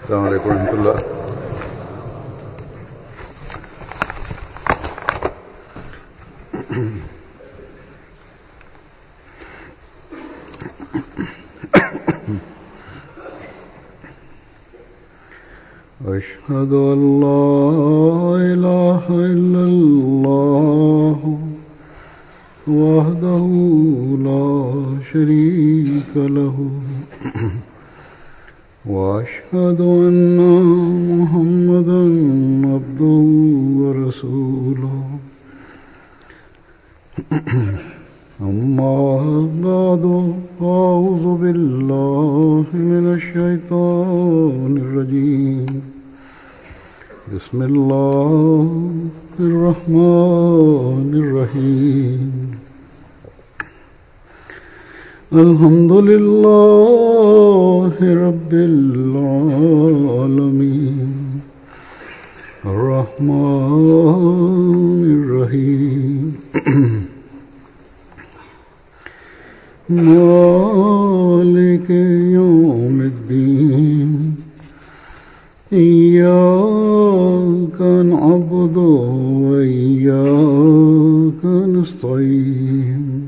السلام عليكم ورحمة الله. أشهد أن لا إله إلا الله وحده لا شريك له وأشهد أن محمدا عبده ورسوله أما بعد أعوذ بالله من الشيطان الرجيم بسم الله الرحمن الرحيم الحمد لله رب العالمين الرحمن الرحيم مالك يوم الدين إياك نعبد وإياك نستعين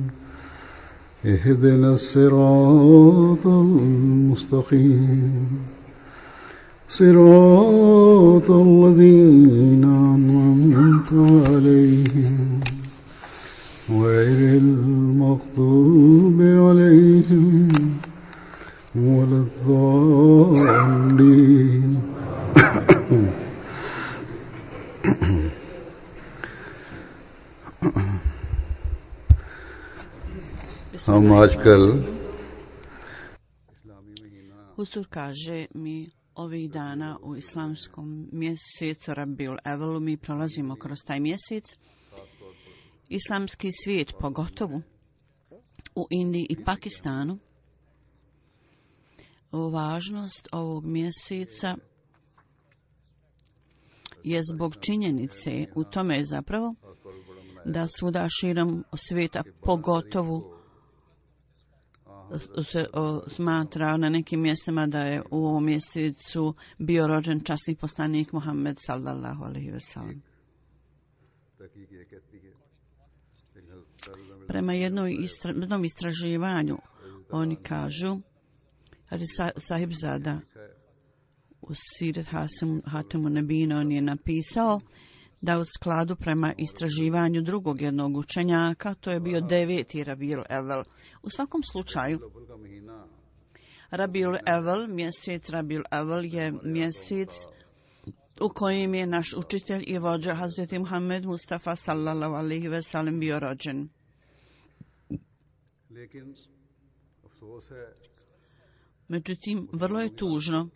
اهدنا الصراط المستقيم صراط الذين أنعمت عليهم غير المغضوب عليهم ولا الضالين. हम आजकल Huzur kaže mi ovih dana u islamskom mjesecu Rabiul Evelu mi prolazimo kroz taj mjesec. Islamski svijet, pogotovo u Indiji i Pakistanu, važnost ovog mjeseca je zbog činjenice u tome zapravo da svuda širom svijeta pogotovo se smatra na nekim mjestima da je u ovom mjesecu bio rođen časni poslanik Muhammed sallallahu alejhi ve sellem. Prema jednom istraživanju oni kažu, Sahibzada u Sirat Hatimu Nebina on je napisao da u skladu prema istraživanju drugog jednog učenjaka, to je bio 9. Rabiul Evvel. U svakom slučaju, Rabiul Evvel, mjesec Rabiul Evvel je mjesec u kojem je naš učitelj i vođa Hazreti Muhammed Mustafa sallallahu alejhi ve sellem bio rođen. Međutim, vrlo je tužno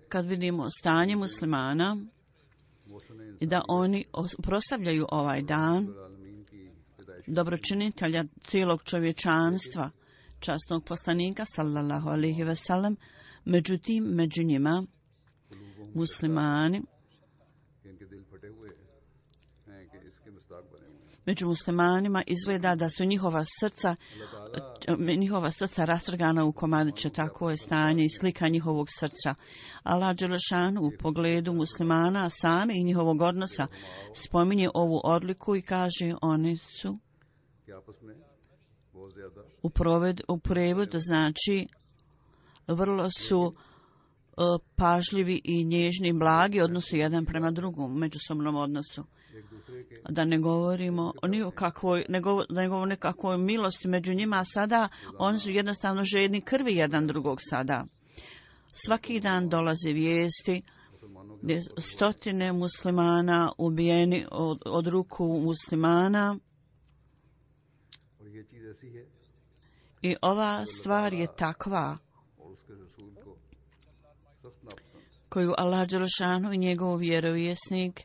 kad vidimo stanje muslimana i da oni proslavljaju ovaj dan dobročinitelja cijelog čovječanstva, časnog poslanika sallallahu alejhi ve sellem. Međutim, među njima među muslimanima izgleda da su njihova srca rastrgana u komadiće. Tako je stanje i slika njihovog srca. Allah dželešanu u pogledu muslimana same i njihovog odnosa spominje ovu odliku i kaže oni su u prevodu znači vrlo su pažljivi i nježni, blagi odnosu jedan prema drugom, međusobnom odnosu. Da ne govorimo ni o nekakvoj milosti među njima sada, oni su jednostavno žedni krvi jedan drugog sada. Svaki dan dolaze vijesti gdje stotine muslimana ubijeni od ruku muslimana. I ova stvar je takva koju Allah dželešanu i njegov vjerovjesnik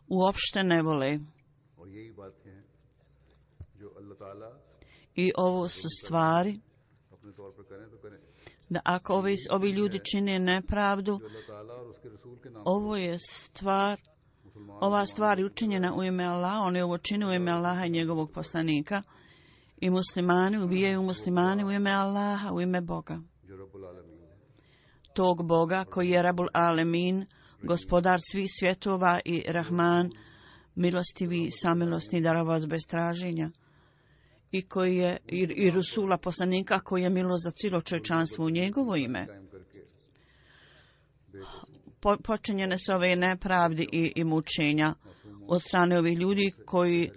uopšte ne vole. I ovo su stvari da ako ovi ljudi čine nepravdu, ova stvar je učinjena u ime Allaha, oni ovo čine u ime Allaha i njegovog poslanika. I muslimani ubijaju muslimani u ime Allaha, u ime Boga. tog Boga koji je Rabul Alemin, gospodar svih svjetova i Rahman, milostivi, samilosni, daravac bez traženja, i koji je i Rusula poslanika koji je milost za cijelo čovječanstvo u njegovo ime. Počinjene su ove nepravdi i mučenja od strane ovih ljudi koji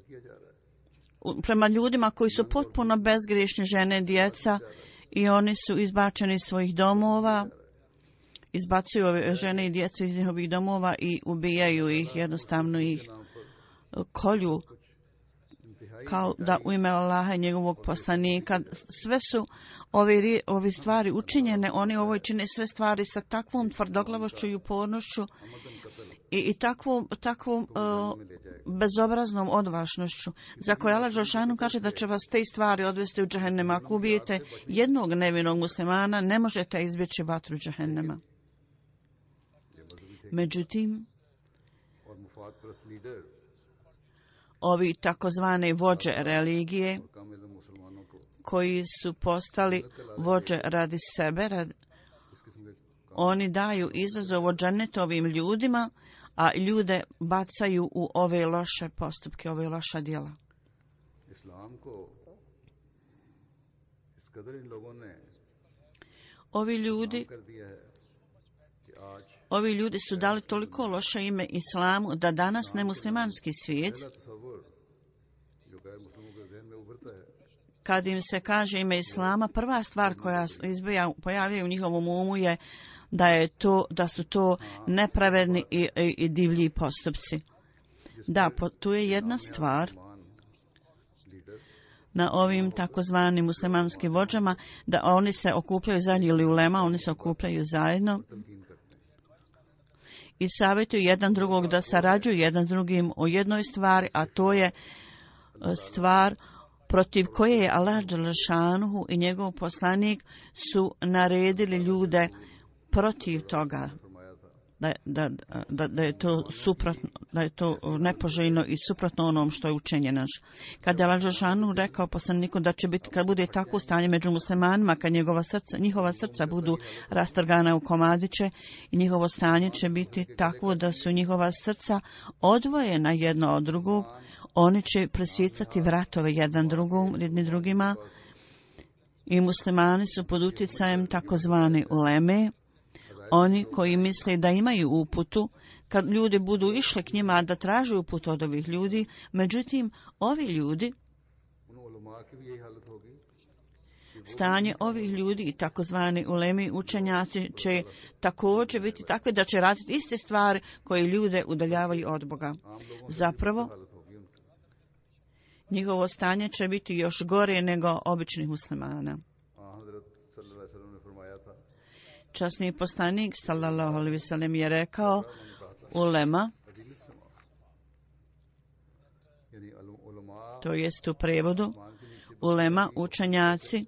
prema ljudima koji su potpuno bezgriješni, žene, djeca, i oni su izbačeni iz svojih domova, izbacuju ove žene i djecu iz njihovih domova i ubijaju ih, jednostavno ih kolju, kao da u ime Allaha i njegovog poslanika. Sve su ove stvari učinjene, oni ovo čine sve stvari sa takvom tvrdoglavošću i upornošću i takvom bezobraznom odvažnošću, za koje Allah dželešanu kaže da će vas te stvari odvesti u džehennema. Ako ubijete jednog nevinog muslimana, ne možete izbjeći vatru džehennema. Međutim, ovi takozvane vođe religije, koji su postali vođe radi sebe, oni daju izazov od džennetovim ljudima, a ljude bacaju u ove loše postupke, ove loša djela. Ovi ljudi su dali toliko loše ime islamu da danas nemuslimanski svijet, kad im se kaže ime islama, prva stvar koja pojavljuje u njihovom umu je da su to nepravedni i divlji postupci. Da, tu je jedna stvar na ovim takozvanim muslimanskim vođama, da oni se okupljaju zajedno, ili ulema, oni se okupljaju zajedno i savjetuju jedan drugog da sarađuju jedan s drugim o jednoj stvari, a to je stvar protiv koje je Allah dželešanuhu i njegov poslanik su naredili ljude protiv toga, da je to suprotno, da je to nepoželjno i suprotno onom što je učinjeno. Kad je Allah dželešanuhu rekao poslaniku da će biti, kad bude takvo stanje među muslimanima, kad njihova srca budu rastrgana u komadiće i njihovo stanje će biti takvo da su njihova srca odvojena jedno od drugog, oni će presjecati vratove jedni drugima, i muslimani su pod utjecajem takozvane uleme, oni koji misle da imaju uputu, kad ljudi budu išli k njima da traže uput od ovih ljudi. Međutim, ovi ljudi, stanje ovih ljudi i takozvani ulemi učenjaci će također biti takve da će raditi iste stvari koje ljude udaljavaju od Boga. Zapravo, njihovo stanje će biti još gore nego običnih muslimana. Časni poslanik sallallahu alejhi ve sellem je rekao, ulema, to jest u prevodu, ulema, učenjaci,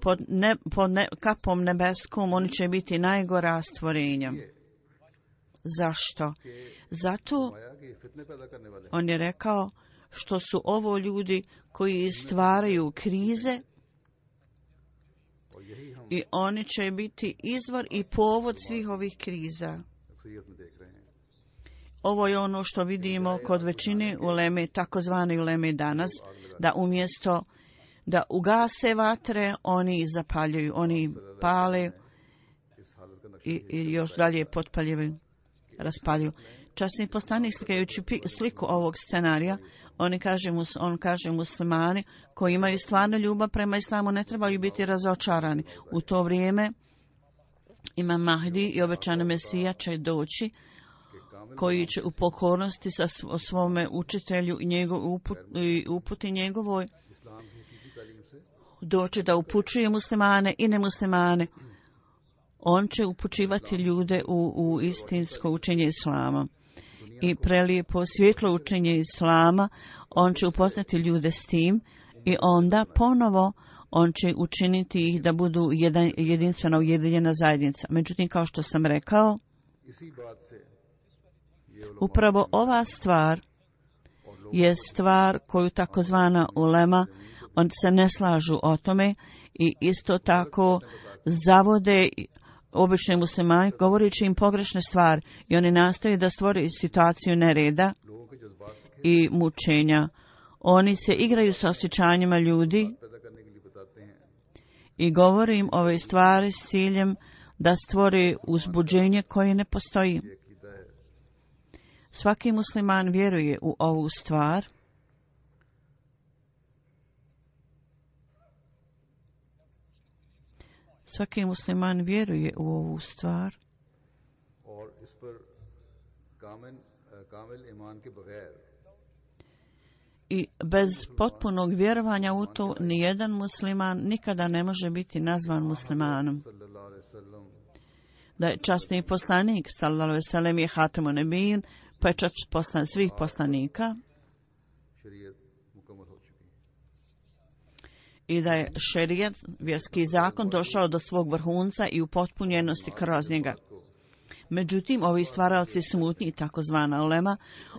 pod kapom nebeskom oni će biti najgora stvorenja. Zašto? Zato, on je rekao, što su ovo ljudi koji stvaraju krize i oni će biti izvor i povod svih ovih kriza. Ovo je ono što vidimo kod većine uleme, takozvane uleme danas, da umjesto da ugase vatre, oni zapaljuju, oni pale i još dalje potpaljuju, raspaljuju. Časni poslanik, slikajući sliku ovog scenarija, on kaže muslimani koji imaju stvarnu ljubav prema islamu ne trebaju biti razočarani. U to vrijeme Imam Mahdi i obećani Mesija će doći, koji će u pokornosti sa svome učitelju i uputi njegovoj doći da upućuje muslimane i nemuslimane. On će upućivati ljude u istinsko učenje islama. I prelijepo svjetlo učenje islama, on će upoznati ljude s tim i onda ponovo on će učiniti ih da budu jedinstvena ujedinjena zajednica. Međutim, kao što sam rekao, upravo ova stvar je stvar koju takozvana ulema, on se ne slažu o tome i isto tako zavode obični muslimani, govoreći im pogrešne stvari, i oni nastoje da stvore situaciju nereda i mučenja. Oni se igraju sa osjećanjima ljudi i govore im ove stvari s ciljem da stvore uzbuđenje koje ne postoji. Svaki musliman vjeruje u ovu stvar. Svaki musliman vjeruje u ovu stvar. I bez potpunog vjerovanja u to, nijedan musliman nikada ne može biti nazvan muslimanom. Da je časni poslanik, sallallahu alejhi ve sellem, je hatemun nebijin, pečat svih poslanika, i da je šerijat, vjerski zakon, došao do svog vrhunca i u potpunjenosti kroz njega. Međutim, ovi stvaralci smutnji, takozvana ulema,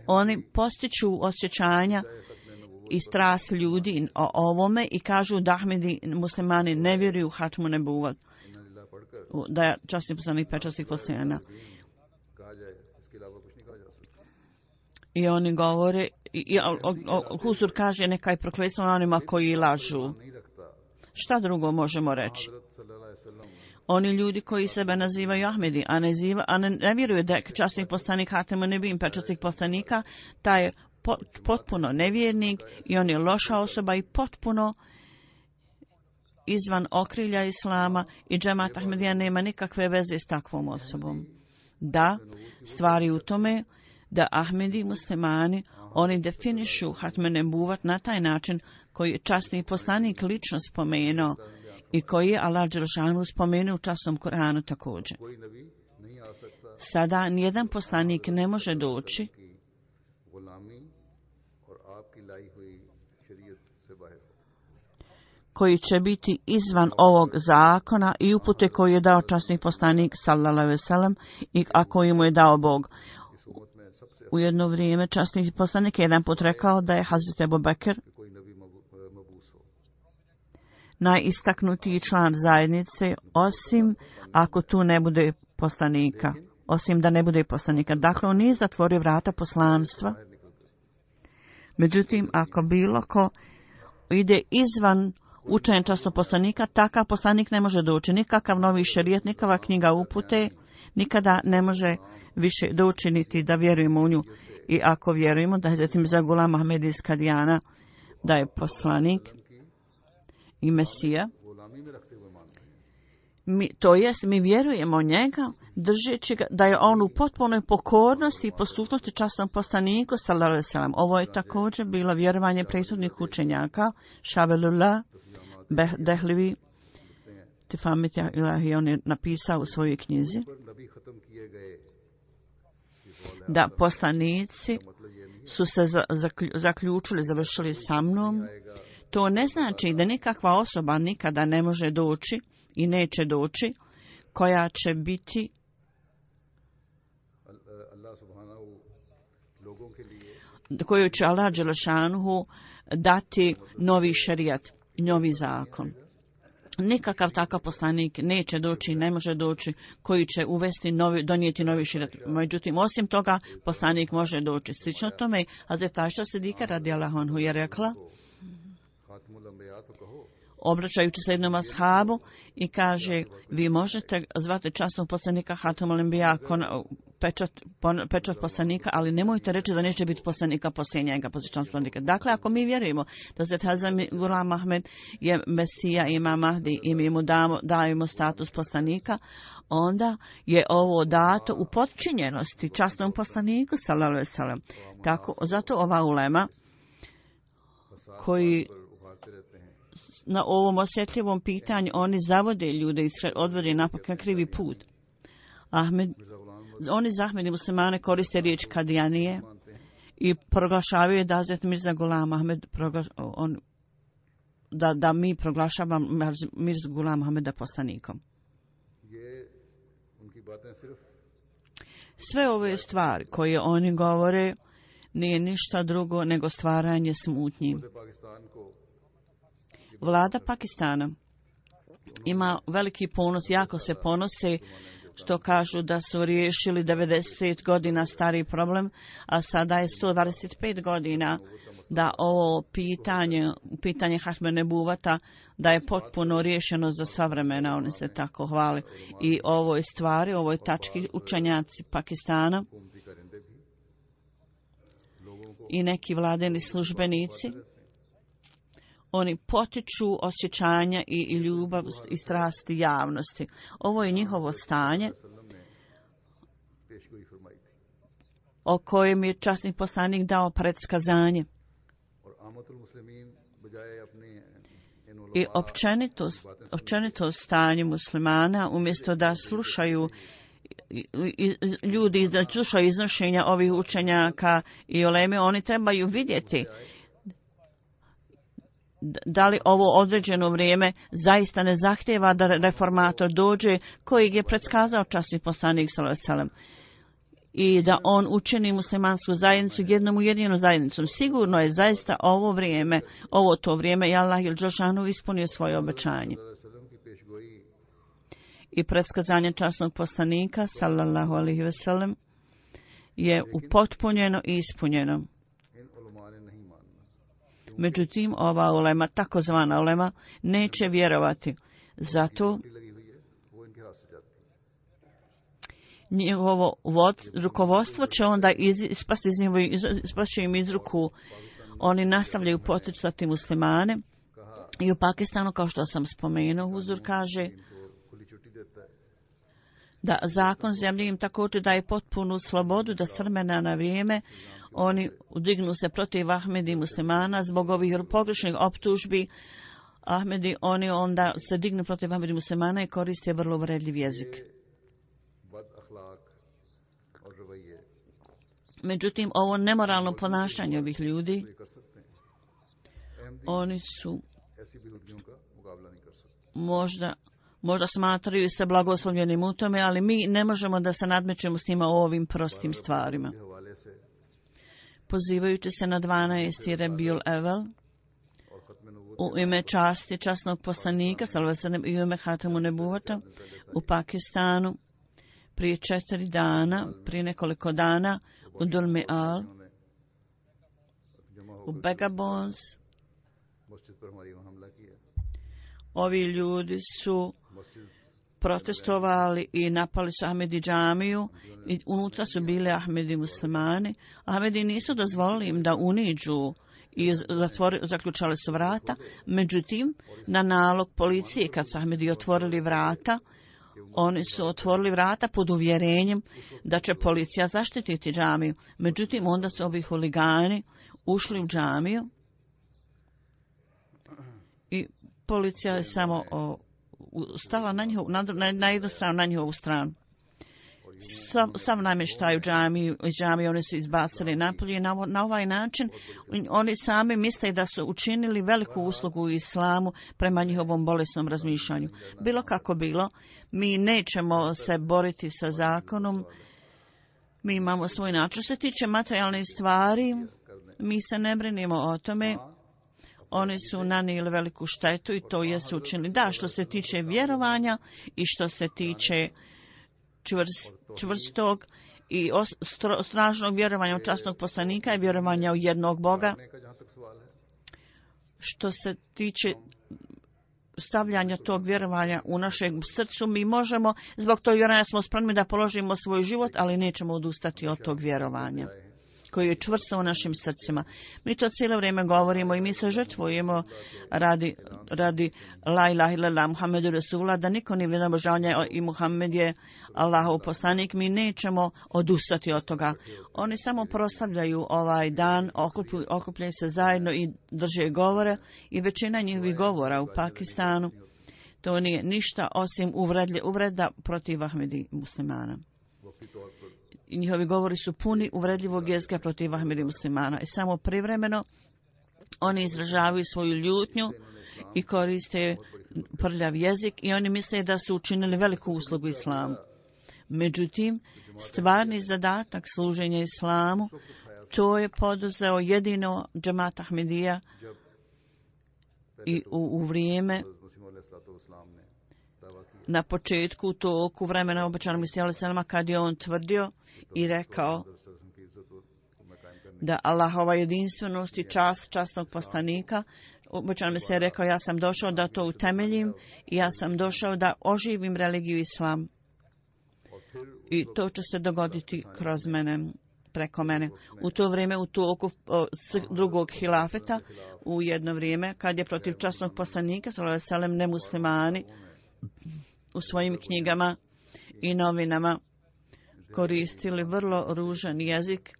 oni postiču osjećanja i strast ljudi o ovome i kažu da Ahmedi muslimani ne vjeruju u hatmu nebuvat, da je časni poslanik pečastih poslanika. I oni govore, Huzur kaže, neka je prokletstvo onima koji lažu. Šta drugo možemo reći? Oni ljudi koji sebe nazivaju Ahmedi, a ne vjeruju da je časnih poslanik hatemun nebijin, pečastih poslanika, taj je potpuno nevjernik i on je loša osoba i potpuno izvan okrilja Islama, i džemat Ahmedija nema nikakve veze s takvom osobom. Da, stvari u tome da Ahmedi muslimani, oni definišu hatme nebuvat na taj način koji je časni poslanik lično spomenuo i koji je Allah dželešanu spomenuo u časnom Kur'anu također. Sada nijedan poslanik ne može doći koji će biti izvan ovog zakona i upute koju je dao časni poslanik, sallallahu alejhi ve sellem, a koju mu je dao Bog. U jedno vrijeme časni poslanik jedan put rekao da je Hazret Ebu Bekr najistaknutiji član zajednice, osim ako tu ne bude poslanika. Osim da ne bude poslanika. Dakle, on nije zatvorio vrata poslanstva. Međutim, ako bilo ko ide izvan učenja časnog poslanika, takav poslanik ne može doći. Nikakav novi šerijat, nikakva knjiga upute, nikada ne može više doći niti da vjerujemo u nju. I ako vjerujemo da je Hazret Mirza Ghulam Ahmed iz Kadijana, da je poslanik i Mesija, mi vjerujemo njega, držeći ga da je on u potpunoj pokornosti i poslušnosti časnom poslaniku, sallallahu alejhi ve sellem. Ovo je također bilo vjerovanje prethodnih učenjaka, Šavelullah Dehlevi, Tifamit Ilahi, on je napisao u svojoj knjizi da poslanici su se zaključili, završili sa mnom. To ne znači da nikakva osoba nikada ne može doći i neće doći, koja će biti koju će Allah dželešanuhu dati novi šerijat, novi zakon. Nikakav takav poslanik neće doći, ne može doći, koji će donijeti novi šerijat. Međutim, osim toga, poslanik može doći. Slično tome, Hazret Ajša Sidika radijallahu anhu je rekla, obraćajući se jednom ashabu, i kaže, vi možete zvati časnog poslanika Hatemul Enbija, pečat poslanika, ali nemojte reći da neće biti poslanika poslije njega, poslije časnog poslanika. Dakle, ako mi vjerujemo da se Hazret Ghulam Ahmed je Mesija, Imam Mahdi, i mi mu dajemo status poslanika, onda je ovo dato u potčinjenosti časnom poslaniku, sallallahu alejhi ve sellem. Tako, zato ova ulema koji na ovom osjetljivom pitanju oni zavode ljude i odvode na krivi put. Oni za Ahmedi muslimane koriste riječ Kadijanije i proglašavaju da Hazret Mirza Ghulam Ahmed da mi proglašavamo Mirza Ghulam Ahmeda poslanikom. Sve ove stvari koje oni govore nije ništa drugo nego stvaranje smutnji. Vlada Pakistana ima veliki ponos, jako se ponose što kažu da su riješili 90 godina stari problem, a sada je 125 godina da ovo pitanje Hatme Nebuvata, da je potpuno riješeno za sva vremena, oni se tako hvale. I ovoj stvari, ovoj tački učenjaci Pakistana i neki vladeni službenici, oni potiču osjećanja i ljubav i strasti javnosti. Ovo je njihovo stanje o kojem je časni poslanik dao predskazanje. I općenito stanje muslimana, umjesto da slušaju ljudi, da slušaju iznošenja ovih učenjaka i uleme, oni trebaju vidjeti da li ovo određeno vrijeme zaista ne zahtjeva da reformator dođe kojeg je predskazao časni poslanik sallallahu alejhi ve sellem i da on učini muslimansku zajednicu jednom ujedinjenom zajednicom. Sigurno je zaista ovo to vrijeme i Allah dželle šanuhu ispunio svoje obećanje. I predskazanje časnog poslanika sallallahu alejhi ve sellem je upotpunjeno i ispunjeno. Međutim, ova ulema, takozvana ulema, neće vjerovati. Zato njihovo rukovodstvo će onda ispasti im iz ruku. Oni nastavljaju poticati muslimane i u Pakistanu, kao što sam spomenuo, Huzur kaže da zakon zemlje im također daje potpunu slobodu da s vremena na vrijeme oni dignu se protiv Ahmedi i muslimana zbog ovih pogrešnih optužbi. Ahmedi, oni onda se dignu protiv Ahmedi i muslimana i koriste vrlo uvredljiv jezik. Međutim, ovo nemoralno ponašanje ovih ljudi, oni su možda smatraju se blagoslovljenim u tome, ali mi ne možemo da se nadmećemo s njima o ovim prostim stvarima. Pozivajući se na 12. Rabiul Awal u ime časti časnog poslanika sallallahu alejhi ve sellem i u ime Hatmu Nebuvata u Pakistanu prije nekoliko dana u Dulmial, u Begabons, ovi ljudi su protestovali i napali su Ahmedi džamiju i unutra su bili Ahmedi muslimani. Ahmedi nisu dozvolili im da uniđu i zaključali su vrata. Međutim, na nalog policije, kad su Ahmedi otvorili vrata, oni su otvorili vrata pod uvjerenjem da će policija zaštititi džamiju. Međutim, onda su ovi huligani ušli u džamiju i policija je samo stala na jednu stranu, na njihovu stranu. Sam namještaj u džamiji oni su izbacili napolje. Na ovaj način oni sami misle da su učinili veliku uslugu u islamu prema njihovom bolesnom razmišljanju. Bilo kako bilo, mi nećemo se boriti sa zakonom, mi imamo svoj način. Što se tiče materijalnih stvari, mi se ne brinimo o tome. Oni su nanijeli veliku štetu i to jesu učinili. Da, što se tiče vjerovanja i što se tiče čvrstog i snažnog vjerovanja u časnog poslanika i vjerovanja u jednog Boga. Što se tiče stavljanja tog vjerovanja u našem srcu, mi možemo, zbog tog vjerovanja smo spremni da položimo svoj život, ali nećemo odustati od tog vjerovanja koji je čvrsto u našim srcima. Mi to cijelo vrijeme govorimo i mi se žrtvujemo radi la ilaha illallah Muhammedu Rasulullah, da niko nije vrijedan obožavanja i Muhammed je Allahov poslanik. Mi nećemo odustati od toga. Oni samo proslavljaju ovaj dan, okupljaju se zajedno i drže govore i većina njihovih govora u Pakistanu to nije ništa osim uvreda protiv Ahmedi muslimana. I njihovi govori su puni uvredljivog jezika protiv Ahmedi muslimana. I samo privremeno oni izražavaju svoju ljutnju i koriste prljav jezik i oni misle da su učinili veliku uslugu islamu. Međutim, stvarni zadatak služenja islamu, to je poduzeo jedino džemat Ahmedija i u vrijeme na početku toku vremena obećanog Mesija alejselama, kad je on tvrdio i rekao da Allahova jedinstvenost i čast časnog poslanika, obećanog Mesija je rekao, ja sam došao da to utemeljim i ja sam došao da oživim religiju islam. I to će se dogoditi kroz mene, preko mene. U to vrijeme, u toku drugog hilafeta, u jedno vrijeme, kad je protiv časnog poslanika, sallallahu alejhi ve sellem, nemuslimani u svojim knjigama i novinama koristili vrlo ružan jezik,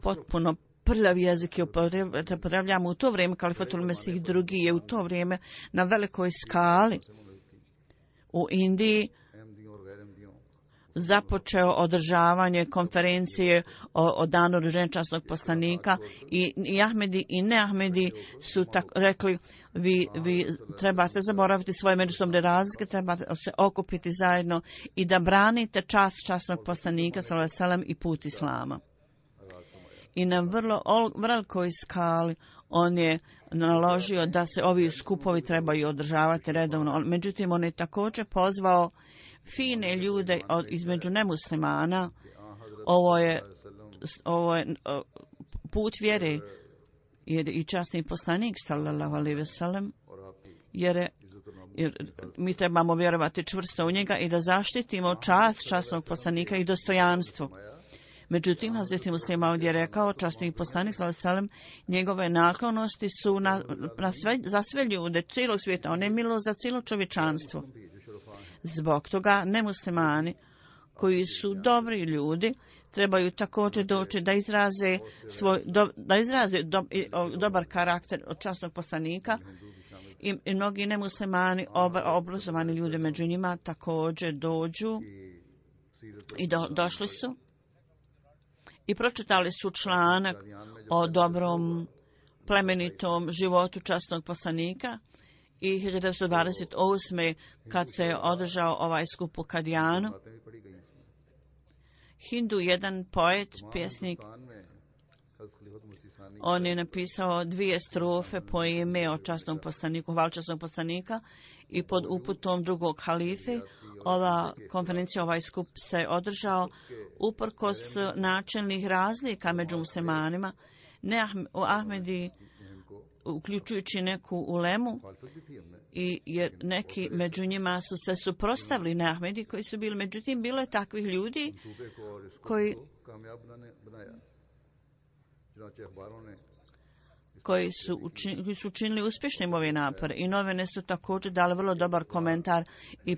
potpuno prljav jezik je upotrebljamo u to vrijeme. Kalifatul Mesih drugi je u to vrijeme na velikoj skali u Indiji započeo održavanje konferencije o danu rođenja časnog poslanika i Ahmedi i neahmedi su rekli, vi trebate zaboraviti svoje međusobne razlike, trebate se okupiti zajedno i da branite čast časnog poslanika sallallahu alejhi ve sellem i put islama. I na vrlo velikoj skali on je naložio da se ovi skupovi trebaju održavati redovno. Međutim, on je također pozvao fine ljude između nemuslimana. Ovo je put vjere, jer i časni poslanik sallallahu alejhi ve sellem, jer mi trebamo vjerovati čvrsto u njega i da zaštitimo čast časnog poslanika i dostojanstvo. Međutim, Hazreti Muslima ovdje je rekao, časni poslanik sallallahu alejhi ve sellem, njegove naklonosti su za sve ljude cijelog svijeta, on je milo za cijelo čovječanstvo. Zbog toga nemuslimani koji su dobri ljudi trebaju također doći da izraze dobar karakter od časnog poslanika i mnogi nemuslimani, obrazovani ljudi među njima također dođu i došli su i pročitali su članak o dobrom plemenitom životu časnog poslanika. I 1928. kad se je održao ovaj skup u Kadijanu, Hindu, jedan poet, pjesnik, on je napisao 2 strofe po ime o časnom poslaniku, hvala časnog poslanika, i pod uputom drugog halife ova konferencija, ovaj skup se održao uprkos načelnih razlika među muslimanima. Ahmedi, uključujući neku ulemu, i jer neki među njima su se suprotstavili neahmedi koji su bili, međutim bilo je takvih ljudi koji su učinili uspješnim ove napore i novine su također dali vrlo dobar komentar i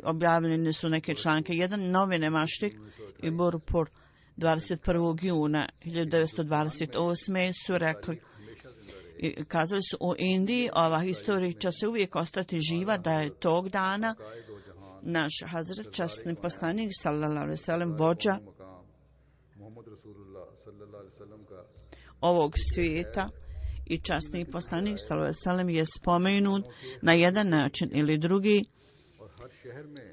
objavljene su neke članke. Jedan novine Maštik i Burpur 21. juna 1928. su rekli i kazali su u Indiji, ova historija će se uvijek ostati živa, da je tog dana naš Hazret, časni poslanik sallallahu alejhi ve sellem, vođa ovog svijeta i časni poslanik sallallahu alejhi ve sellem je spomenut na jedan način ili drugi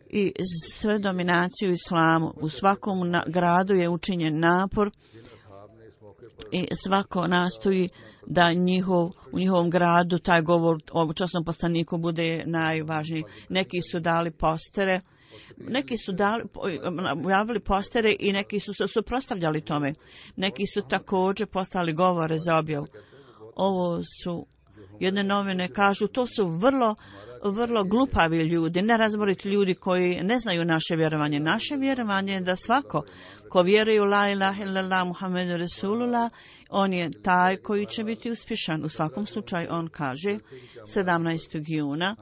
i sve dominaciju islamu. U svakom gradu je učinjen napor i svako nastoji da u njihovom gradu taj govor o časnom poslaniku bude najvažniji. Neki su dali postere, javili postere i neki su se suprotstavljali tome. Neki su također poslali govore za objavu. Ovo su jedne novine, kažu, to su vrlo glupavi ljudi, nerazboriti ljudi koji ne znaju naše vjerovanje. Naše vjerovanje je da svako ko vjeruje u la ilaha illallah Muhammedu Rasulullah, on je taj koji će biti uspješan. U svakom slučaju on kaže 17. juna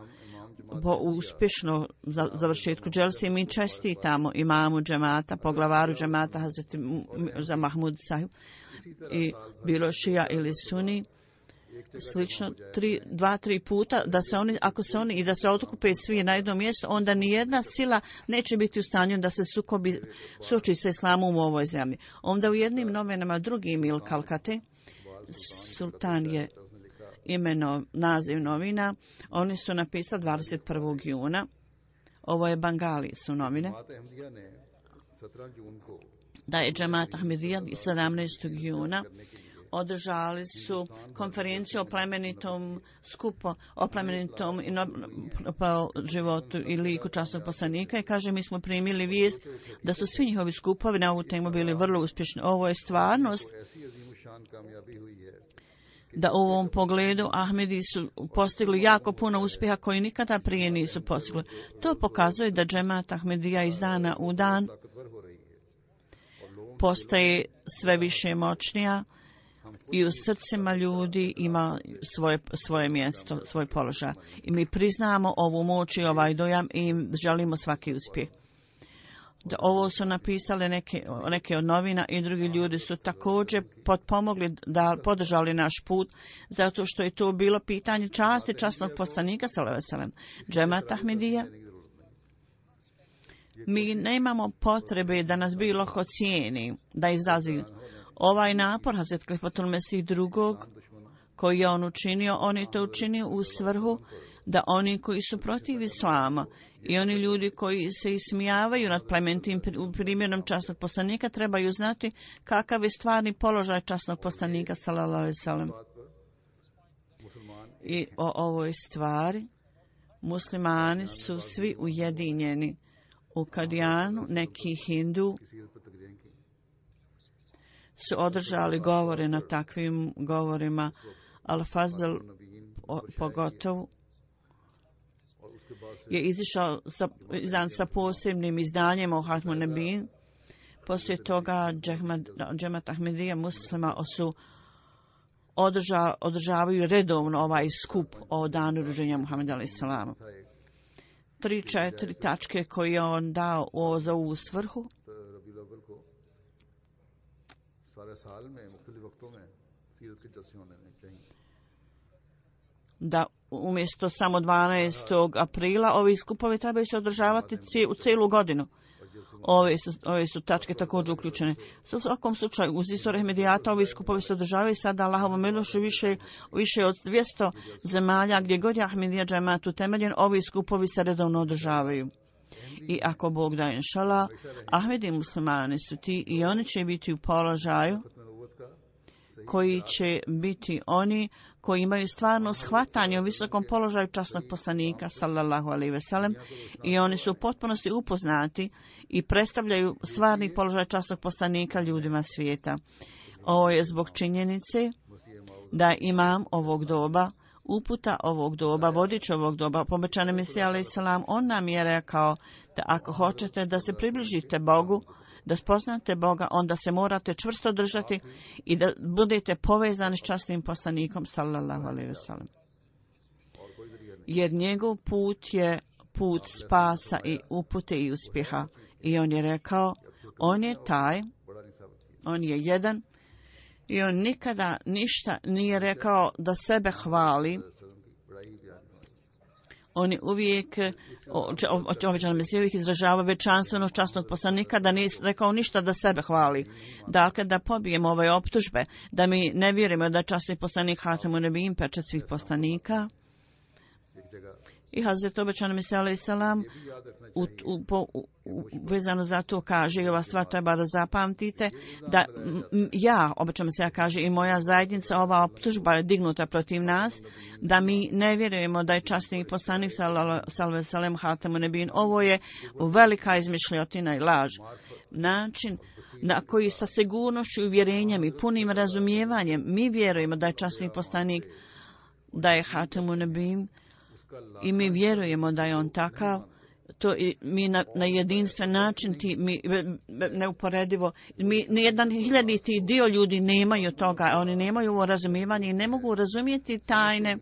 po uspješno završetku dželse mi čestitamo imamu džemata, poglavaru džemata Hazreti za Mahmud Sahib, i bilo šija ili suni, slično 2-3 puta, da se oni, ako se oni i da se okupe svi na jedno mjesto, onda ni jedna sila neće biti u stanju da se suoči sa islamom u ovoj zemlji. Onda u jednim novinama drugim il Kalkate, sultan je naziv novina, oni su napisali 21. juna, ovo je Bangali su novine, da je Džemat Ahmedija 17. juna održali su konferenciju o plemenitom skupu, o plemenitom životu i liku časnog poslanika i kaže mi smo primili vijest da su svi njihovi skupovi na ovu temu bili vrlo uspješni. Ovo je stvarnost da u ovom pogledu Ahmedi su postigli jako puno uspjeha koji nikada prije nisu postigli. To pokazuje da džemat Ahmedija iz dana u dan postaje sve više moćnija i u srcima ljudi ima svoje mjesto, svoj položaj. I mi priznamo ovu moć i ovaj dojam i želimo svaki uspjeh. Ovo su napisale neke od novina i drugi ljudi su također potpomogli da podržali naš put, zato što je to bilo pitanje časti časnog poslanika sallallahu alejhi ve sellem, džemat Ahmedija. Mi nemamo potrebe da nas bilo ko cijeni, da izrazi ovaj napor Hazret Khalifatul Mesih drugog koji je on učinio, on je to učinio u svrhu da oni koji su protiv islama i oni ljudi koji se ismijavaju nad plemenitim primjerom časnog poslanika trebaju znati kakav je stvarni položaj časnog poslanika sallallahu alejhi ve sellem. I o ovoj stvari muslimani su svi ujedinjeni. U Kadijanu neki hindu su održali govore na takvim govorima. Al-Fazl pogotovo je izišao sa posebnim izdanjem o Hatmu Nebin. Poslije toga džemat Ahmedija muslima su održavaju redovno ovaj skup o danu rođenja Muhameda alejhi selama. 3-4 tačke koje je on dao za ovu svrhu. Da umjesto samo 12. aprila ovi skupovi trebaju se održavati u cijelu godinu. Ove su tačke također uključene. U svakom slučaju, uz istoriju Ahmedijata ovi skupovi se održavaju sada Allahovom milošću više od 200 zemalja gdje god je Ahmedija džemat utemeljen, ovi skupovi se redovno održavaju. I ako Bog da inšala, Ahmedi muslimani su ti i oni će biti u položaju koji će biti oni koji imaju stvarno shvatanje o visokom položaju časnog poslanika sallallahu alejhi ve sellem i oni su u potpunosti upoznati i predstavljaju stvarni položaj časnog poslanika ljudima svijeta. Ovo je zbog činjenice da imam ovog doba, uputa ovog doba, vodič ovog doba, pobećani Mesija alejhi selam, on nam je rekao da ako hoćete da se približite Bogu, da spoznate Boga, onda se morate čvrsto držati i da budete povezani s časnim poslanikom sallallahu alejhi ve sellem. Jer njegov put je put spasa i upute i uspjeha. I on je rekao, on je taj, on je jedan i on nikada ništa nije rekao da sebe hvali. On je uvijek obećan Mesija uvijek izražava veličanstvenost časnog poslanika, da nije rekao ništa da sebe hvali. Dakle, da pobijemo ove optužbe, da mi ne vjerujemo da je časni poslanik Hatemu Nebijin pečat svih poslanika. I Hazret obećan Mesija alejhi selam vezano za to kaže, i ova stvar treba da zapamtite, da ja, obećan Mesija kaže, i moja zajednica, ova optužba je dignuta protiv nas, da mi ne vjerujemo da je časni poslanik sallallahu alejhi ve sellem Hatemu Nebijin. Ovo je velika izmišljotina i laž. Način na koji sa sigurnošću i uvjerenjem i punim razumijevanjem mi vjerujemo da je časni poslanik, da je Hatemu Nebijin, i mi vjerujemo da je on takav, to mi na jedinstven način, mi neuporedivo, mi nijedan hiljaditi dio ljudi nemaju toga, oni nemaju ovo razumijevanje i ne mogu razumjeti tajne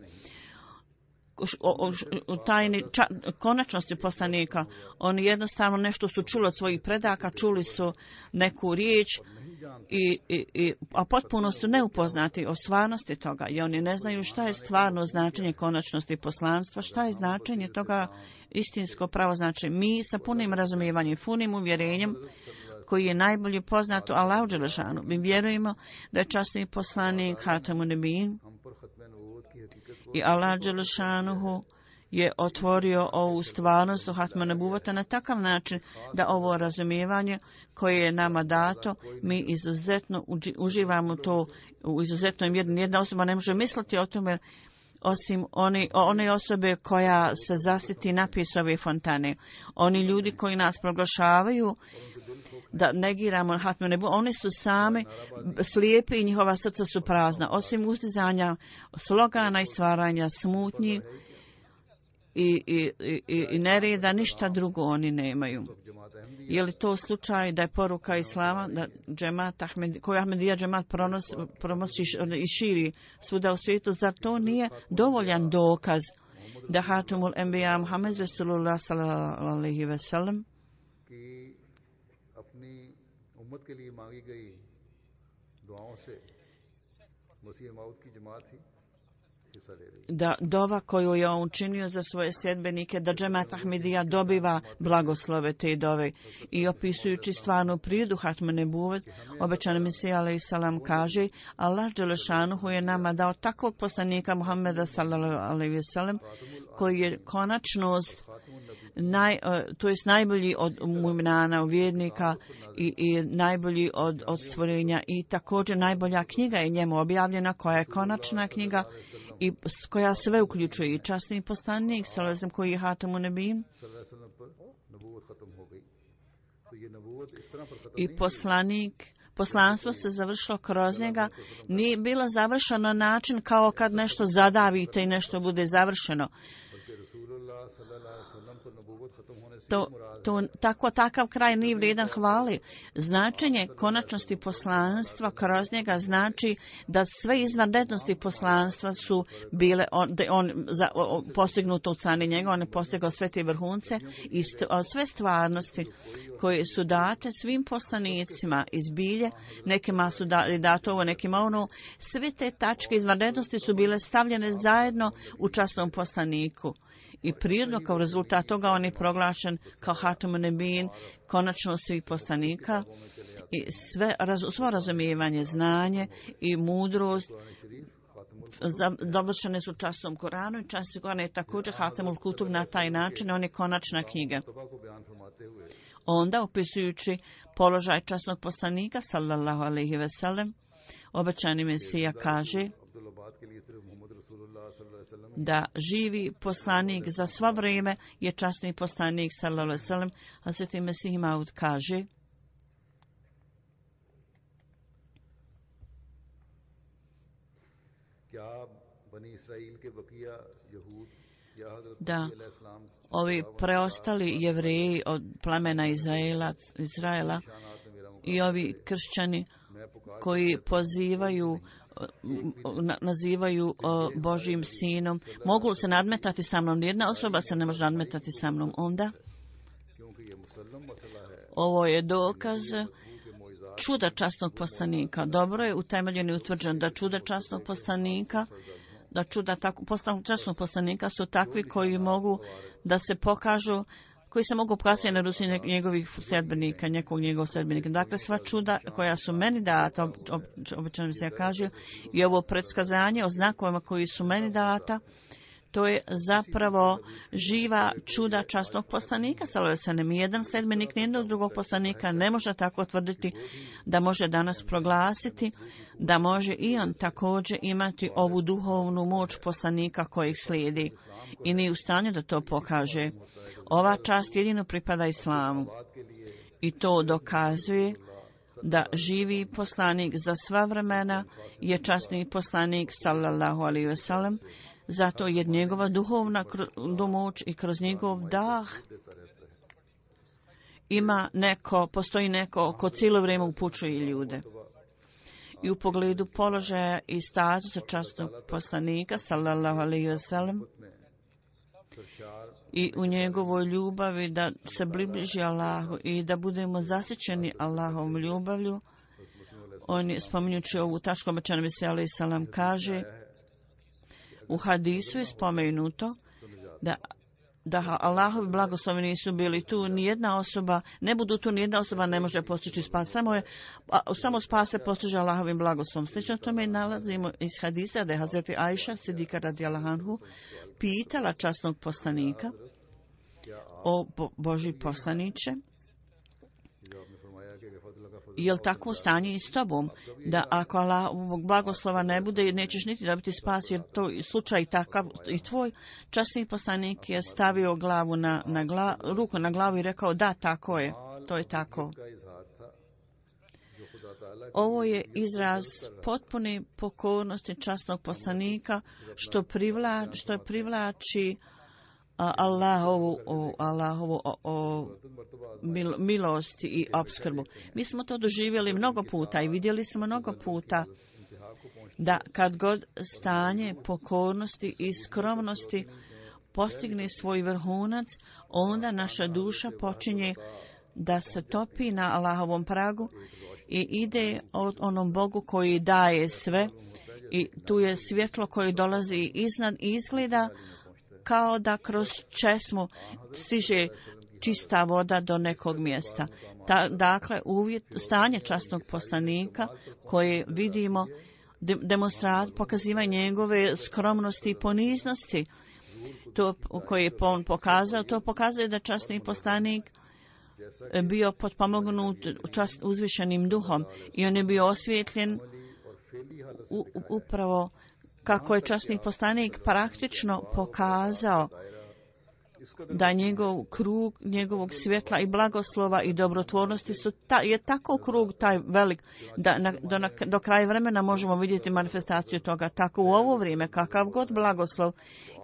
konačnosti poslanika. Oni jednostavno nešto su čuli od svojih predaka, čuli su neku riječ, a potpuno su neupoznati o stvarnosti toga i oni ne znaju šta je stvarno značenje konačnosti poslanstva, šta je značenje toga istinsko pravo značenje. Mi sa punim razumijevanjem, punim uvjerenjem koji je najbolje poznato Allahu dželešanu, mi vjerujemo da je časni poslanik Hatemu Nebijin i Allah dželešanuhu je otvorio ovu stvarnost u Hatma Nebuvata na takav način da ovo razumijevanje koje je nama dato, mi izuzetno uživamo to u izuzetnom jedna osoba ne može misliti o tome osim one osobe koja se zasiti napise ove fontane. Oni ljudi koji nas proglašavaju da negiramo Hatma Nebuvata, oni su sami slijepi i njihova srca su prazna. Osim ustizanja slogana i stvaranja smutnji i nereda, ništa drugo oni nemaju. Je li to slučaj da je poruka Islama da koju Ahmedija džemat pronosi i širi svuda u svijetu, zar to nije dovoljan dokaz da Hatimul Enbiya Muhammed Rasulullah sallallahu alaihi ve sellem da dova koju je on učinio za svoje sljedbenike, da džemat Ahmedija dobiva blagoslove te dove. I opisujući stvarnu prirodu Hatma Nebuvat, obećani Mesija alejhi selam kaže: Allah dželešanuhu je nama dao takvog poslanika Muhammeda sallallahu alejhi ve sellem koji je konačnost to jest najbolji od mu'minana, vjernika i najbolji od stvorenja i također najbolja knjiga je njemu objavljena koja je konačna knjiga i koja sve uključuje i časni poslanik sallallahu koji je Hatamun Nebijin i poslanstvo se završilo kroz njega, nije bilo završeno na način kao kad nešto zadavite i nešto bude završeno. Takav kraj nije vrijedan hvali. Značenje konačnosti poslanstva kroz njega znači da sve izvanrednosti poslanstva su bile postignuto od strane njega, on je postigao sve te vrhunce i sve stvarnosti koje su date svim poslanicima iz bilje, nekima su dato ovo, nekima ono, sve te tačke izvanrednosti su bile stavljene zajedno u časnom poslaniku. I prirodno kao rezultat toga on je proglašen kao Hatamun Nebijin, konačno svih poslanika i svo razumijevanje, znanje i mudrost dovršene su časnom Koranu i časni Koran je također Hatamul Kutub na taj način, on je konačna knjiga. Onda, opisujući položaj časnog poslanika sallallahu alejhi ve sellem, obećani Mesija kaže da živi poslanik za sva vrijeme je časni poslanik sallallahu alejhi ve sellem, a Sveti Mesih Maud kaže da ovi preostali Jevreji od plemena Izraela i ovi kršćani koji nazivaju Božjim sinom, mogu se nadmetati sa mnom. Nijedna osoba se ne može nadmetati sa mnom. Onda ovo je dokaz čuda časnog poslanika. Dobro je utemeljen i utvrđen da čuda časnog poslanika, časnog poslanika su takvi koji mogu da se pokažu, koji se mogu pokazati na ruci njegovih sljedbenika, njegovog sljedbenika. Dakle, sva čuda koja su meni data, obično se kaže, i ovo predskazanje o znakovima koji su meni data, to je zapravo živa čuda časnog poslanika, sallallahu alejhi ve sellem. Jedan sljedbenik nijednog drugog poslanika ne može tako tvrditi da može danas proglasiti da može i on također imati ovu duhovnu moć poslanika kojih slijedi i nije u stanju da to pokaže. Ova čast jedino pripada islamu i to dokazuje da živi poslanik za sva vremena je časni poslanik sallallahu alejhi ve sellem. Zato je njegova duhovna moć i kroz njegov dah postoji neko ko cijelo vrijeme upućuje ljude. I u pogledu položaja i statusa časnog poslanika sallallahu alejhi ve sellem i u njegovoj ljubavi da se bliži Allahu i da budemo zasićeni Allahovom ljubavlju, on je spominjući ovu tačku obećani Mesija alejhi selam kaže: u hadisu je spomenuto da da Allahovi blagoslovi nisu bili tu, nijedna osoba, ne budu tu, nijedna osoba ne može postići spas. Samo spas se postiže Allahovim blagoslovom. Slično tome nalazimo iz hadisa da je Hazreti Ajša, Sidika radijallahu anhu, pitala časnog poslanika: o Božji poslaniče, je li takvo stanje i s tobom, da ako Allahovog blagoslova ne bude, nećeš niti dobiti spas, jer to je slučaj takav i tvoj? Časni poslanik je stavio ruku na glavu i rekao: da, tako je, to je tako. Ovo je izraz potpune pokornosti časnog poslanika, što privlači Allahovu milost i opskrbu. Mi smo to doživjeli mnogo puta i vidjeli smo mnogo puta da kad god stanje pokornosti i skromnosti postigne svoj vrhunac, onda naša duša počinje da se topi na Allahovom pragu i ide od onom Bogu koji daje sve, i tu je svjetlo koje dolazi iznad i izgleda kao da kroz česmu stiže čista voda do nekog mjesta. Dakle, stanje časnog poslanika koje vidimo pokazivanje njegove skromnosti i poniznosti, to koje je on pokazao, to pokazuje da časni poslanik bio potpomognut uzvišenim duhom i on je bio osvjetljen upravo kako je časni poslanik praktično pokazao da njegov krug njegovog svjetla i blagoslova i dobrotvornosti je tako krug taj velik da do kraja vremena možemo vidjeti manifestaciju toga. Tako u ovo vrijeme kakav god blagoslov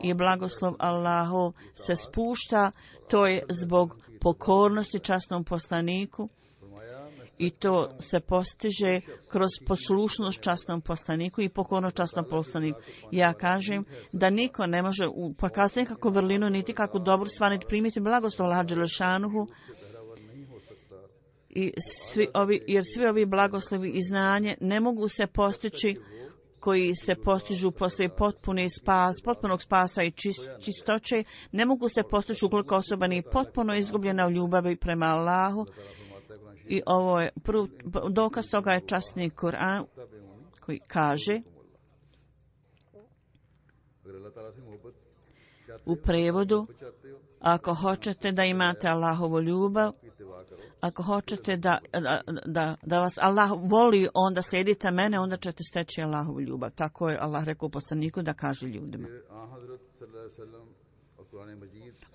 i blagoslov Allahov se spušta, to je zbog pokornosti časnom poslaniku, i to se postiže kroz poslušnost časnom poslaniku i pokornost časnom poslaniku. Ja kažem da niko ne može pokazati nekakvu vrlinu, niti kakvu dobru stvar, niti primiti blagoslov Allaha dželešanuhu, jer svi ovi blagoslovi i znanje ne mogu se postići koji se postižu poslije potpunog spasa i čistoće, ne mogu se postići ukoliko osoba nije potpuno izgubljena u ljubavi prema Allahu. I ovo je dokaz toga je časni Kur'an koji kaže u prevodu: ako hoćete da imate Allahovu ljubav, ako hoćete da vas Allah voli, onda slijedite mene, onda ćete steći Allahovu ljubav. Tako je Allah rekao poslaniku da kaže ljudima.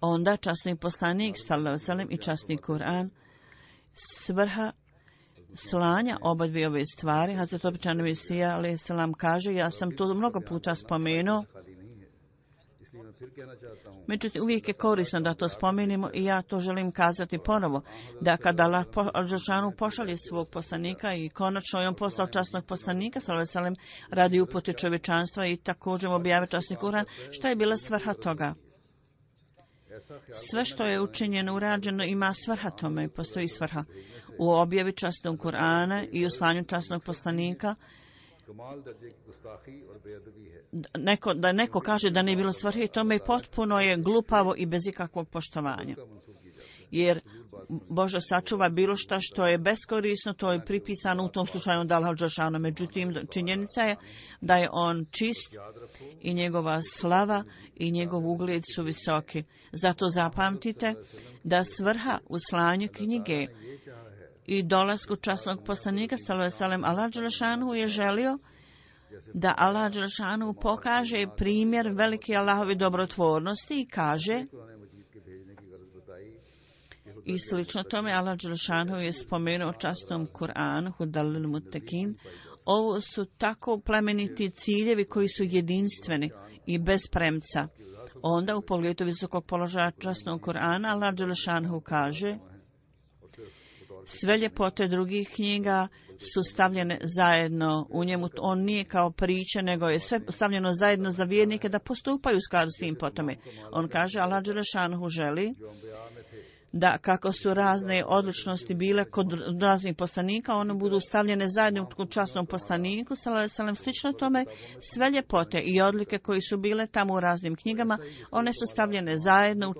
Onda časni poslanik sallallahu alejhi ve sellem i časni Kur'an, svrha slanja oba dvije ove stvari. Hazret običan Mesija alejhi selam kaže, ja sam to mnogo puta spomenuo, međutim uvijek je korisno da to spomenemo i ja to želim kazati ponovo, da kada Allah dželešanu pošalje svog poslanika i konačno je on poslao časnog poslanika sallallahu alejhi ve sellem radi upute čovječanstva i također objavi časni Kur'an, šta je bila svrha toga? Sve što je učinjeno, urađeno, ima svrha tome, postoji svrha. U objavi časnog Kur'ana i u slanju časnog poslanika, da neko kaže da nije bilo svrhe, tome potpuno je glupavo i bez ikakvog poštovanja. Jer Bože sačuva bilo što je beskorisno, to je pripisano u tom slučaju da Allah dželešanu. Međutim, činjenica je da je on čist i njegova slava i njegov ugled su visoki. Zato zapamtite da svrha u slanju knjige i dolasku časnog poslanika sallallahu alejhi ve sellem, Allah dželešanu je želio da Allah dželešanu pokaže primjer velike Allahove dobrotvornosti i kaže, i slično tome Allah dželešanu je spomenuo časnom Kur'anu Hudal lil muttaqin. Ovo su tako plemeniti ciljevi koji su jedinstveni i bez premca. Onda u pogledu visokog položaja časnog Kur'ana Allah dželešanu kaže, sve ljepote drugih knjiga su stavljene zajedno u njemu. On nije kao priča, nego je sve stavljeno zajedno za vjernike da postupaju u skladu s tim potome. On kaže, Allah dželešanu želi da kako su razne odličnosti bile kod raznih poslanika, one budu stavljene zajedno u časnom poslaniku, slično tome, sve ljepote i odlike koji su bile tamo u raznim knjigama, one su stavljene zajedno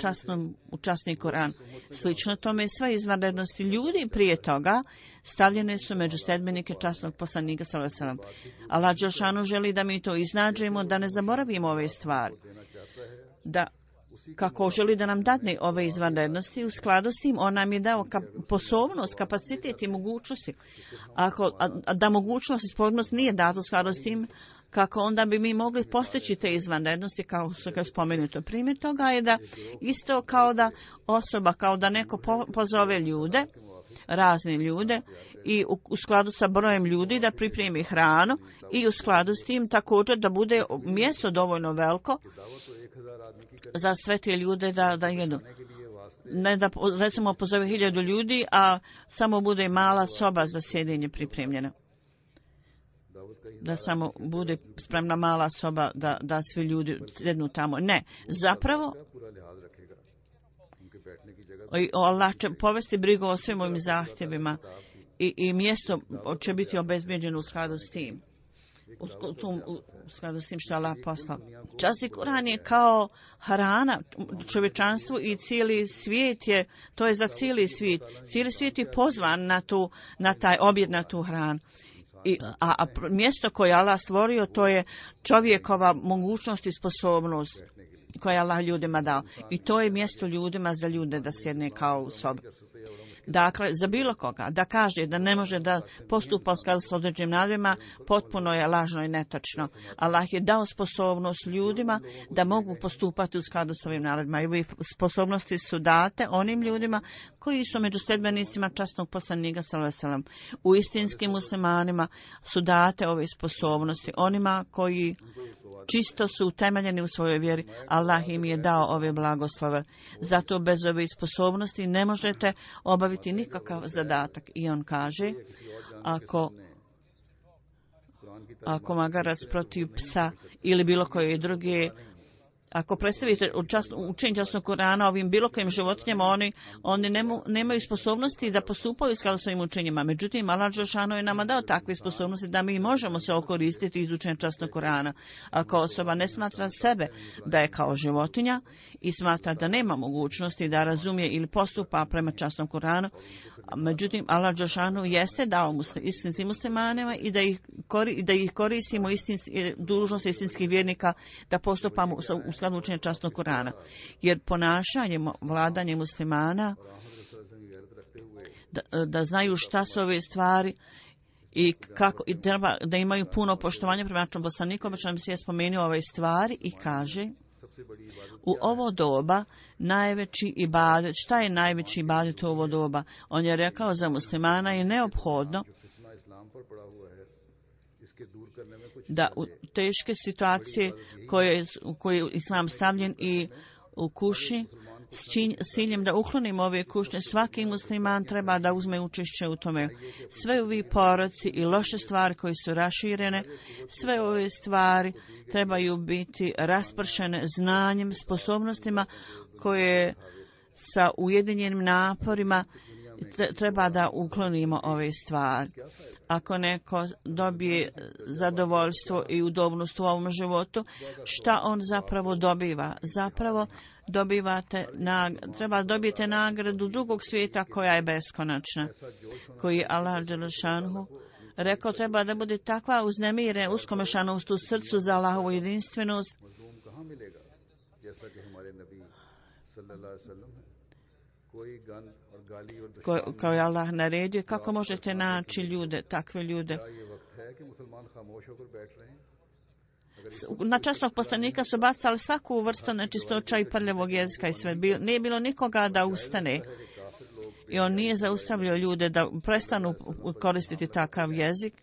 u časni Koran. Slično tome, sve izvanrednosti ljudi prije toga stavljene su među sedmenike časnog poslanika. Allah dželešanu želi da mi to iznađemo, da ne zaboravimo ove stvari. Da kako želi da nam dadne ove izvanrednosti, u skladu s tim on nam je dao sposobnost, kapacitet i mogućnosti. Da mogućnost i sposobnost nije data u skladu s tim, kako onda bi mi mogli postići te izvanrednosti, kao što je spomenuto. Primjer toga je da isto kao da osoba, kao da neko pozove ljude, razne ljude, i u skladu sa brojem ljudi da pripremi hranu i u skladu s tim također da bude mjesto dovoljno veliko za sve te ljude da jedu. Ne da recimo pozove 1000 ljudi, a samo bude mala soba za sjedenje pripremljena. Da samo bude spremna mala soba da svi ljudi sjednu tamo. Ne, zapravo Allah će povesti brigu o svim ovim zahtjevima i mjesto će biti obezbeđeno u skladu s tim. U skladu s tim što je Allah poslao. Časni Koran je kao hrana čovječanstvu i cijeli svijet to je za cijeli svijet. Cijeli svijet je pozvan na taj objed, na tu hranu. A mjesto koje Allah stvorio, to je čovjekova mogućnost i sposobnost koje Allah ljudima dao. I to je mjesto ljudima za ljude da sjedne kao u sobi. Dakle, za bilo koga da kaže da ne može da postupa u skladu s određenim naredbama, potpuno je lažno i netačno. Allah je dao sposobnost ljudima da mogu postupati u skladu s ovim naredbama. I ove sposobnosti su date onim ljudima koji su među sedbenicima časnog poslanika sallallahu. U istinskim muslimanima su date ove sposobnosti onima koji čisto su utemeljeni u svojoj vjeri. Allah im je dao ove blagoslove. Zato bez ove sposobnosti ne možete obaviti nikakav zadatak. I on kaže, ako magarac protiv psa ili bilo koje druge, ako predstavite učenje časnog Korana ovim bilo kojim životinjama, oni nemaju sposobnosti da postupaju s svojim učenjima. Međutim, Allah dželešanu je nama dao takve sposobnosti da mi možemo se okoristiti iz učenja časnog Korana. Ako osoba ne smatra sebe da je kao životinja i smatra da nema mogućnosti da razumije ili postupa prema časnom Koranu, međutim, Allah dželešanu jeste dao istinskim muslimanima i da ih koristimo dužnost istinskih vjernika da postupamo u skladu učenja časnog Korana. Jer ponašanjem, vladanjem muslimana da znaju šta su ove stvari i kako i treba da imaju puno poštovanja prema našem poslaniku, obično se je spomenuo ove stvari i kaže u ovo doba najveći ibadet. Šta je najveći ibadet u ovo doba? On je rekao za muslimana je neophodno da u teške situacije u koje je islam stavljen i u kušnji s ciljem da uklonimo ove kušnje, svaki musliman treba da uzme učešće u tome. Sve ovi poroci i loše stvari koje su raširene, sve ove stvari trebaju biti raspršene znanjem, sposobnostima koje sa ujedinjenim naporima treba da uklonimo ove stvari. Ako neko dobije zadovoljstvo i udobnost u ovom životu, šta on zapravo dobiva? Zapravo treba dobijete nagradu drugog svijeta koja je beskonačna, koji je Allah dželešanu rekao treba da bude takva uznemirena, uskomešanost u srcu za Allahovu jedinstvenost, kao je Allah naredio. Kako možete naći ljude, takve ljude? Na časnog poslanika su bacali svaku vrstu nečistoća i prljavog jezika i sve. Nije bilo nikoga da ustane. I on nije zaustavljao ljude da prestanu koristiti takav jezik.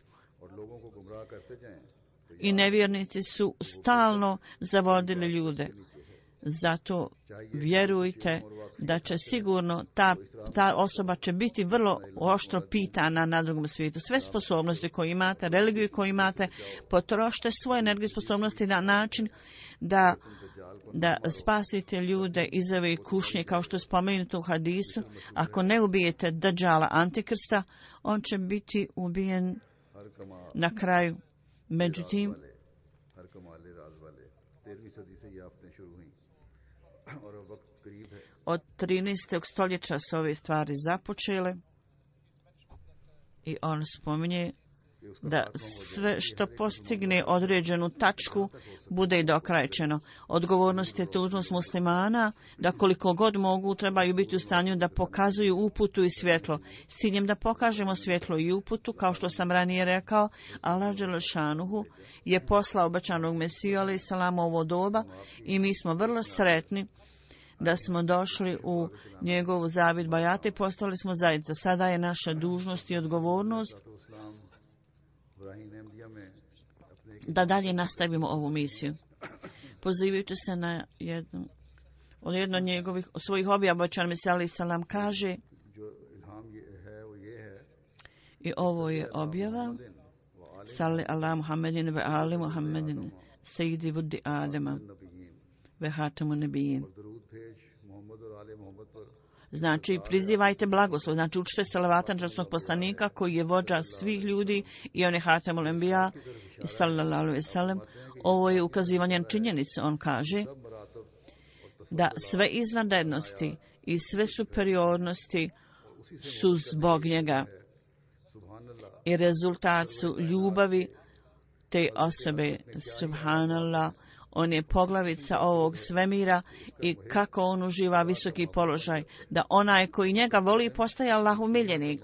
I nevjernici su stalno zavodili ljude. Zato vjerujte da će sigurno ta osoba će biti vrlo oštro pitana na drugom svijetu. Sve sposobnosti koje imate, religiju koju imate, potrošite svoje energije sposobnosti na način da da spasite ljude iz ove kušnje, kao što je spomenuto u hadisu. Ako ne ubijete Dajjala Antikrista, on će biti ubijen na kraju. Međutim, od 13. stoljeća su ove stvari započele i on spominje da sve što postigne određenu tačku bude i dokrajčeno. Odgovornost je tužnost muslimana da koliko god mogu trebaju biti u stanju da pokazuju uputu i svjetlo. S ciljem da pokažemo svjetlo i uputu, kao što sam ranije rekao, Allah dželešanuhu je poslao obećanog Mesiju alejhi selam u ovo doba i mi smo vrlo sretni da smo došli u njegovu zavid bajata i postali smo zajednica. Sada je naša dužnost i odgovornost da dalje nastavimo ovu misiju. Pozivajući se na jednu od njegovih svojih objava, obećan Mesija alejhi selam kaže, i ovo je objava: Salli ala Muhammedin ve ali Muhammedin sejidi vudi Adema ve hatamu nebijin. Znači, prizivajte blagoslov, znači učite salavata na časnog poslanika koji je vođa svih ljudi i on je hatamul enbija i sallallahu alejhi ve sellem. Ovo je ukazivanje na činjenice. On kaže da sve izvanrednosti i sve superiornosti su zbog njega i rezultat su ljubavi te osobe. Subhanallah, on je poglavica ovog svemira i kako on uživa visoki položaj, da onaj koji njega voli postaje Allahov miljenik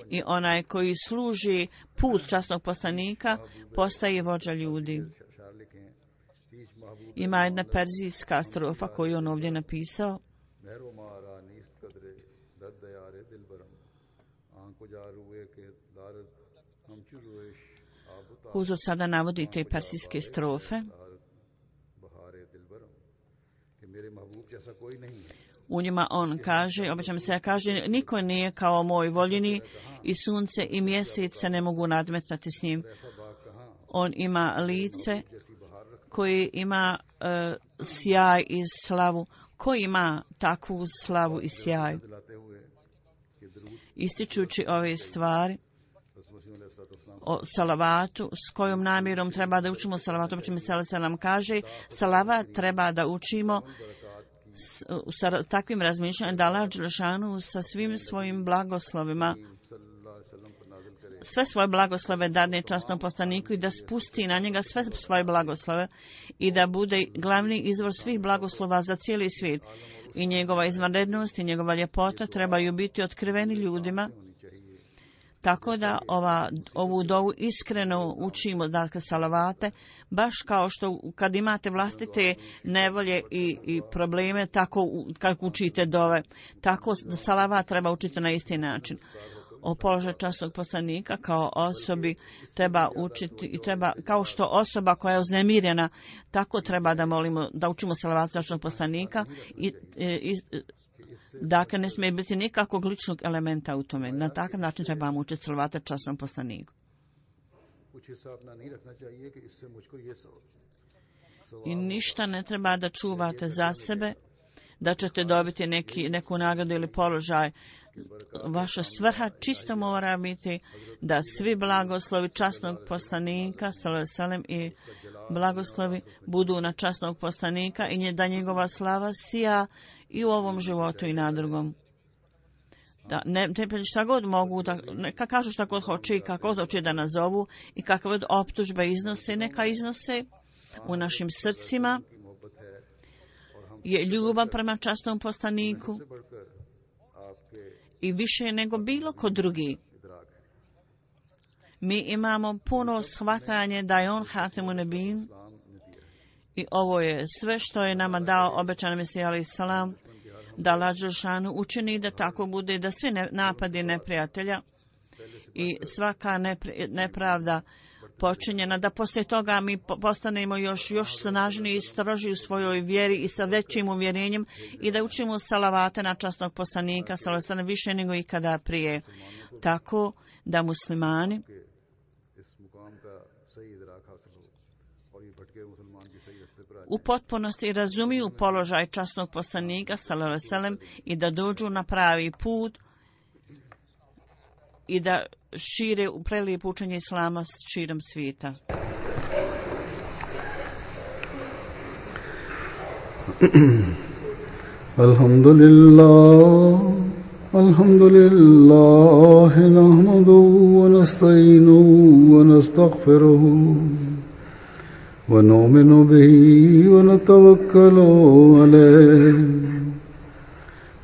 i onaj koji služi put časnog poslanika postaje vođa ljudi. Ima jedna perzijska strofa koju on ovdje napisao. Huzur sada navodi te persijske strofe. U njima on kaže, obećam se, kaže, niko nije kao moj voljeni i sunce i mjesec se ne mogu nadmetati s njim. On ima lice koji ima sjaj i slavu. Ko ima takvu slavu i sjaj? Ističući ove stvari o salavatu, s kojom namjerom treba da učimo salavatu, obećam se nam kaže, salavat treba da učimo sa takvim razmišljanjem da Allah dželešanu sa svim svojim blagoslovima, sve svoje blagoslove dadne časnom poslaniku i da spusti na njega sve svoje blagoslove i da bude glavni izvor svih blagoslova za cijeli svijet. I njegova izvanrednost i njegova ljepota trebaju biti otkriveni ljudima, tako da ovu dovu iskreno učimo, dakle salavate, baš kao što kad imate vlastite nevolje i probleme, tako kako učite dove. Tako da salavat treba učiti na isti način. O položaju časnog poslanika kao osobi treba učiti i treba, kao što osoba koja je uznemirena, tako treba da molimo, da učimo salavat časnog poslanika i dakle, ne smije biti nikakvog ličnog elementa u tome. Na takav način trebamo učiti salavata časnom poslaniku. I ništa ne treba da čuvate za sebe, da ćete dobiti neku nagradu ili položaj. Vaša svrha čisto mora biti da svi blagoslovi časnog poslanika sallallahu i blagoslovi budu na časnog poslanika i da njegova slava sija i u ovom životu i na drugom. Da ne šta god mogu, da neka kažu šta god hoće i kako god hoće da nazovu i kakve god optužbe iznose, neka iznose. U našim srcima je ljubav prema časnom poslaniku i više nego bilo ko drugi. Mi imamo puno shvatanje da je on hatamun nebijin i ovo je sve što je nama dao obećan Mesija alejhi selam, da Allah dželešanu učini da tako bude, da svi napadi neprijatelja i svaka nepravda počinjena, da poslije toga mi postanemo još snažniji i stroži u svojoj vjeri i sa većim uvjerenjem i da učimo salavate na časnog poslanika sallallahu više nego ikada prije. Tako da muslimani u potpunosti razumiju položaj časnog poslanika sallallahu alejhi ve sellem i da dođu na pravi put i da šire u prelijepo učenje islama širom svijeta. Alhamdulillah nahmaduhu wa nasta'inuhu wa nastaghfiruhu wa nu'minu bihi wa natawakkalu alayhi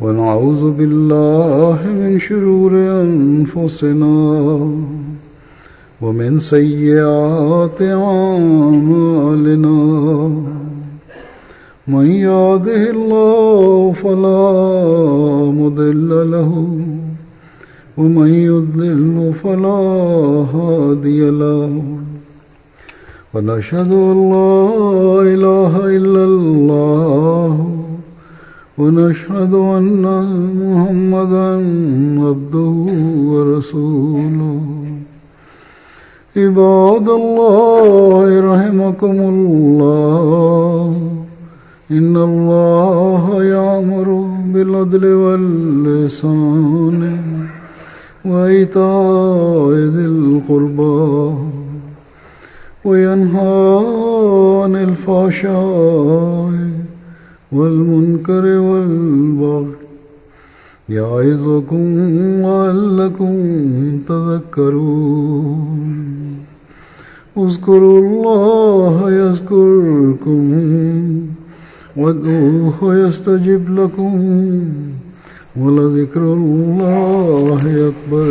ونعوذ بالله من شرور أنفسنا ومن سيئات أعمالنا من يهده الله فلا مضل له ومن يضلل فلا هادي له ونشهد أن لا إله إلا الله ونشهد أن محمدا عبده ورسوله عباد الله رحمكم الله إن الله يأمر بالعدل والإحسان وإيتاء ذي القربى وينهى عن الفحشاء والمنكر والبغي يعظكم لعلكم تذكرون اذكروا الله يذكركم وادعوه يستجب لكم ولذكر الله أكبر